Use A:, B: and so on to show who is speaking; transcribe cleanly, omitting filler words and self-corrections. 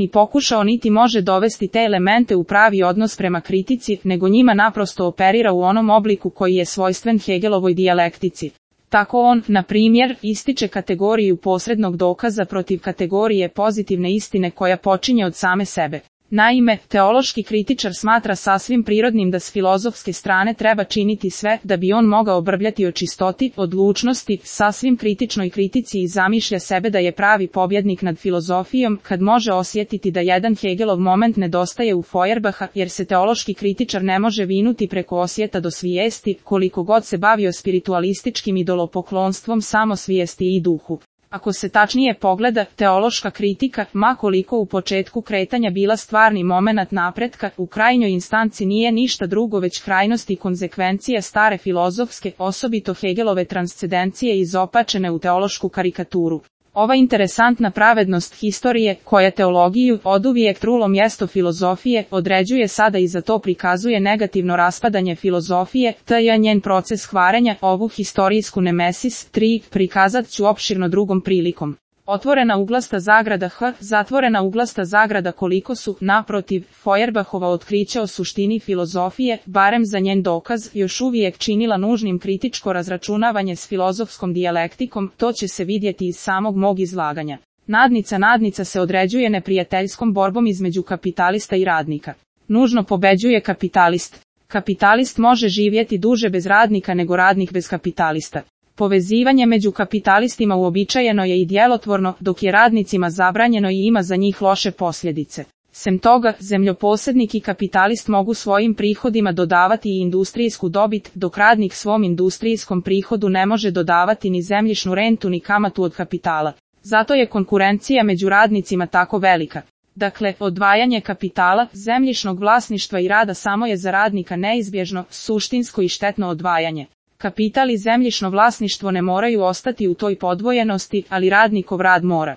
A: ni pokušao niti može dovesti te elemente u pravi odnos prema kritici, nego njima naprosto operira u onom obliku koji je svojstven Hegelovoj dijalektici. Tako on, na primjer, ističe kategoriju posrednog dokaza protiv kategorije pozitivne istine koja počinje od same sebe. Naime, teološki kritičar smatra sasvim prirodnim da s filozofske strane treba činiti sve da bi on mogao brbljati o čistoti, odlučnosti, sasvim kritičnoj kritici i zamišlja sebe da je pravi pobjednik nad filozofijom kad može osjetiti da jedan Hegelov moment nedostaje u Feuerbacha, jer se teološki kritičar ne može vinuti preko osjeta do svijesti, koliko god se bavio spiritualističkim idolopoklonstvom samosvijesti i duhu. Ako se tačnije pogleda, teološka kritika, ma koliko u početku kretanja bila stvarni momenat napretka, u krajnjoj instanci nije ništa drugo već krajnost i konzekvencija stare filozofske, osobito Hegelove transcendencije izopačene u teološku karikaturu. Ova interesantna pravednost historije, koja teologiju, oduvijek trulo mjesto filozofije, određuje sada i za to prikazuje negativno raspadanje filozofije, te je njen proces hvarenja, ovu historijsku nemesis, 3, prikazat ću opširno drugom prilikom. Otvorena uglasta zagrada H, zatvorena uglasta zagrada koliko su, naprotiv, Feuerbachova otkrića o suštini filozofije, barem za njen dokaz, još uvijek činila nužnim kritičko razračunavanje s filozofskom dijalektikom, to će se vidjeti iz samog mog izlaganja. Nadnica se određuje neprijateljskom borbom između kapitalista i radnika. Nužno pobeđuje kapitalist. Kapitalist može živjeti duže bez radnika nego radnik bez kapitalista. Povezivanje među kapitalistima uobičajeno je i djelotvorno, dok je radnicima zabranjeno i ima za njih loše posljedice. Sem toga, zemljoposjednik i kapitalist mogu svojim prihodima dodavati i industrijsku dobit, dok radnik svom industrijskom prihodu ne može dodavati ni zemljišnu rentu ni kamatu od kapitala. Zato je konkurencija među radnicima tako velika. Dakle, odvajanje kapitala, zemljišnog vlasništva i rada samo je za radnika neizbježno, suštinsko i štetno odvajanje. Kapital i zemljišno vlasništvo ne moraju ostati u toj podvojenosti, ali radnikov rad mora.